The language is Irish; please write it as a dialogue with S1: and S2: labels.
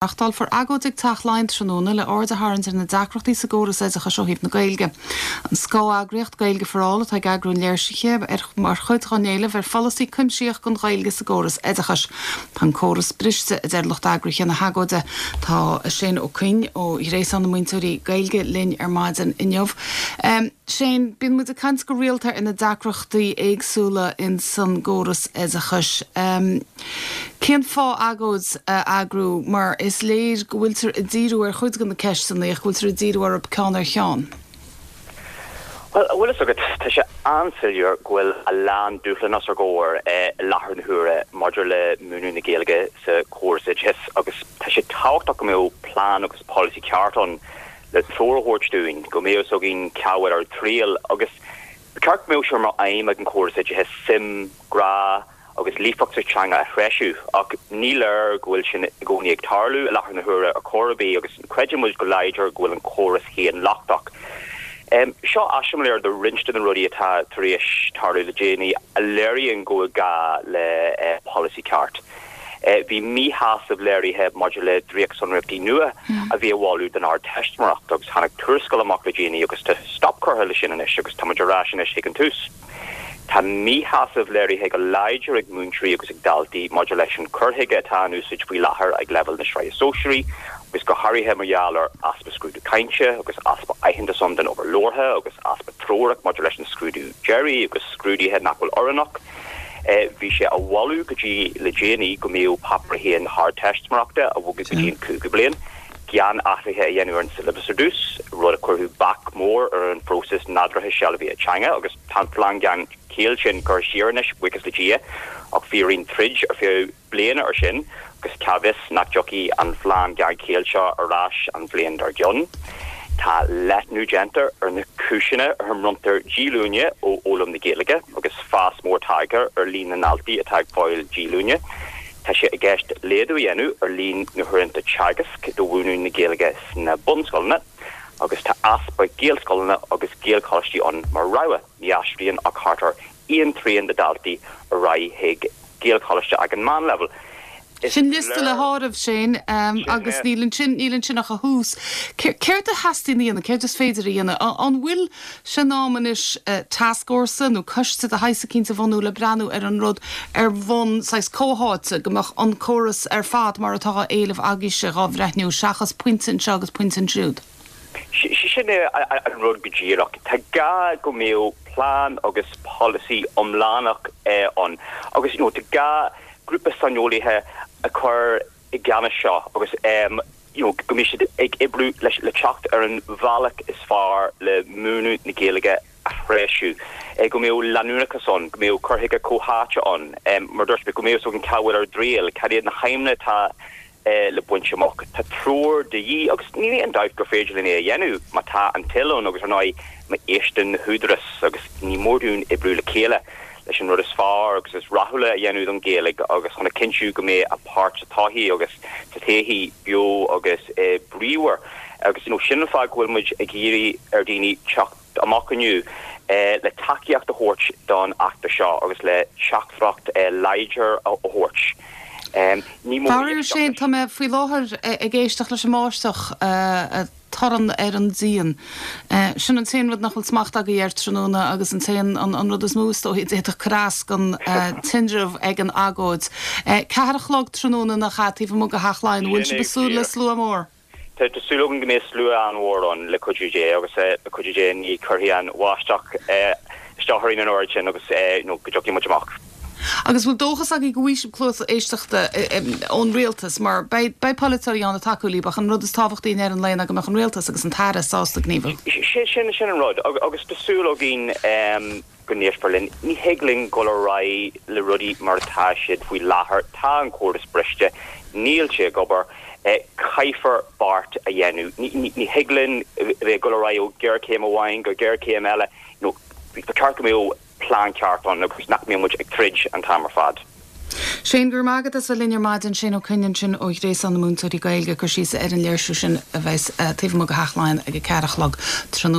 S1: Reáchtálfar agóid ag Teach Laighean tráthnóna le aird a tharraingt ar na deacrachtaí sa gcóras oideachais ó thaobh na Gaeilge. An scáth-eagraíocht Gaeilge for All atá ag eagrú an léirsithe mar chuid dá n-éileamh ar pholasaí cuimsitheach don Ghaeilge sa gcóras oideachais. Tá an córas briste, a deir lucht eagraithe na hagóide. Tá Shane Ó Coinn ó Ghréasán na Múinteoirí Gaeilge linn ar maidin inniu. Shane, bíonn muid ag caint go rialta ar na deacrachtaí éagsúla ins an gcóras oideachais. Cén fáth agóid a eagrú mar is léir go bhfuiltear ag díriú ar chuid de na ceisteanna ach go bhfuiltear ag díriú orthu ceann ar cheann?
S2: Bhuel, an bhfuil fhios agat, tá sé an-soiléir go bhfuil a lán dúshlán os ár gcomhair i láthair na huaire maidir le múineadh na Gaeilge sa chóras oideachais agus tá sé tábhachtach go mbeadh plean agus polasaí ceart ann le treoir a thabhairt dúinn, go mbeadh fhios againn cá bhfuil ár dtriall agus ba cheart go mbeadh sé mar aidhm ag an chóras oideachais suim, grá, agus líofacht sa teanga a threisiú, ach ní léir go bhfuil sin i gcónaí ag tarlú i láthair na huaire ar chor ar bith agus creideann muid go láidir go bhfuil an córas féin lochtach. Seo eiseamláir de roinnt de na rudaí atá tar éis tarlú le déanaí a léiríonn go bhfuil gá le polasaí ceart. Bhí míshásamh léirithe maidir le dréachtsonraíochtaí nua a bhí á mholadh don Ardteistiméireacht agus tháinig tuarascáil amach le déanaí agus tá stop curtha leis sin anois agus tá muid ar ais anois chuig an tús. Tá míshásamh léirithe go láidir ag múinteoirí agus ag daltaí maidir leis an cur chuige atá in úsáid faoi láthair ag leibhéal na Sraithe Sóisearaí agus go háirithe mar gheall ar easpa scrúdú cainte agus easpa aitheantas ann don obair labhartha agus easpa treorach maidir leis an scrúdú deiridh agus scrúduithe nach bhfuil oiriúnach. Bhí sé á mholadh go dtí le déanaí go mbeadh Páipéar 1 na hArdteistiméireachta á bhogadh go dtí an cúigiú bliain gan athruithe a dhéanamh ar an siollabas ar dtús, rud a chuirfeadh bac mór ar an phróiseas nádúrtha sealbhaithe teanga agus tá an phlean gan chéill sin curtha siar anois, buíochas le Dia, ach bhí orainn troid ar feadh bliana ar sin agus cá bhfios nach dtiocfaidh an phlean gan chéill seo ar ais an bhliain dár gcionn. Tá leathnú déanta ar na cúiseanna ar a mbronntar díolúine ó fhoghlaim na Gaeilge agus fás mór tagtha ar líon na ndaltaí atá ag fáil díolúine. Tá sé i gceist laghdú a dhéanamh ar líon na huaireanta teagaisc do mhúineadh na Gaeilge sna bunscoileanna agus tá easpa Gaelscoileanna agus Gaelcholáistí ann mar rogha. Ní aistríonn ach thart ar aon trian de dhaltaí ar aghaidh chuig Gaelcholáiste ag an meánleibhéal.
S1: Is Sin liosta le háireamh, Shane, agus níl ansin, níl ansin ach a thús. Céard a theastaíonn a dhéanamh? Céard is féidir a dhéanamh? An bhfuil sé in am anois tascfhórsa nó coiste de shaghas eicínt a bhunú le breathnú ar an rud ar bhonn saghas comhtháite, go mbeadh an córas ar fad mar atá á éileamh agaibhse dhá bhreithniú seachas pointe anseo agus pointe ansiúd?
S2: Sin é an rud go díreach. Tá gá go mbeadh plean agus polasaí iomlánach ann agus you know tá gá grúpa saineolaithe a chur i gceannas seo agus you know go mbeidh siad ag oibriú leis le teacht ar an bhealach is fearr le múineadh na Gaeilge a threisiú, go mbeadh leanúnachas ann, go mbeadh cur chuige comhtháite ann, mar a dúirt mé, go mbeadh fhios againn cá bhfuil ár dtriall, cad iad na haidhmeanna atá le baint amach. Tá treoir de dhíth agus níl aon dabht gur féidir linn é a dhéanamh má tá an toil ann agus ar ndóigh má éisteann na húdaráis agus ní mór dúinn oibriú le chéile leis an rud is fearr agus is rathúla a dhéanamh don Ghaeilge agus chun a chinntiú go mbeidh a páirt sa tsochaí agus sa todhchaí beo agus bríomhar agus you know sin an fáth go bhfuil muid ag iarraidh ar dhaoine teacht amach inniu le tacaíocht a thabhairt don fheachtas seo agus le teachtaireacht láidir a thabhairt.
S1: Ní mór Faraor Shane, tá mé faoi láthair ag éisteacht leis an mbáisteach, torann ar an díon. Sin an t-aon rud nach bhfuil smacht agaibh air tráthnóna agus an t-aon, an rud is mó is dóichí a d'fhéadfadh cur as don tinreamh ag an agóid. Ceathair a chlog tráthnóna nach ea, taobh amuigh de Theach Laighean. An bhfuil sibh ag súil le slua mór?
S2: Tá súil againn go mbeidh slua an-mhór ann, le cuidiú Dé, agus le cuidiú Dé ní chuirfidh an bháisteach isteach orainn an oiread sin agus go dtiocfaidh muid amach.
S1: Agus bhfuil dóchas agaibh go bhfaighidh sibh cluas éisteachta ón rialtas, mar beidh polaiteoirí ann ag tacú libh, ach an rud is tábhachtaí i ndeireadh an lae ná go mbeadh an rialtas agus an tAire sásta gníomhú.
S2: Sin an rud, agus tá súil againn. go n-éistfear linn. Ní thig linn dul ar aghaidh le rudaí mar atá siad faoi láthair. Tá an córas briste. Níl sé ag obair. Caithfear beart a dhéanamh. Ní thig linn bheith ag dul ar aghaidh ó ghéarchéim amháin go géarchéim eile. Ba cheart go mbeadh plean ceart ann agus nach mbeadh muid ag troid an t-am ar fad.
S1: Shane, go raibh maith agat as bheith linn ar maidin. Shane Ó Coinn ansin ó Ghréasán na Múinteoirí Gaeilge ag cur síos ar an léirsiú sin a bheas taobh amuigh de Theach Laighean ag a ceathair a chlog tráthnóna.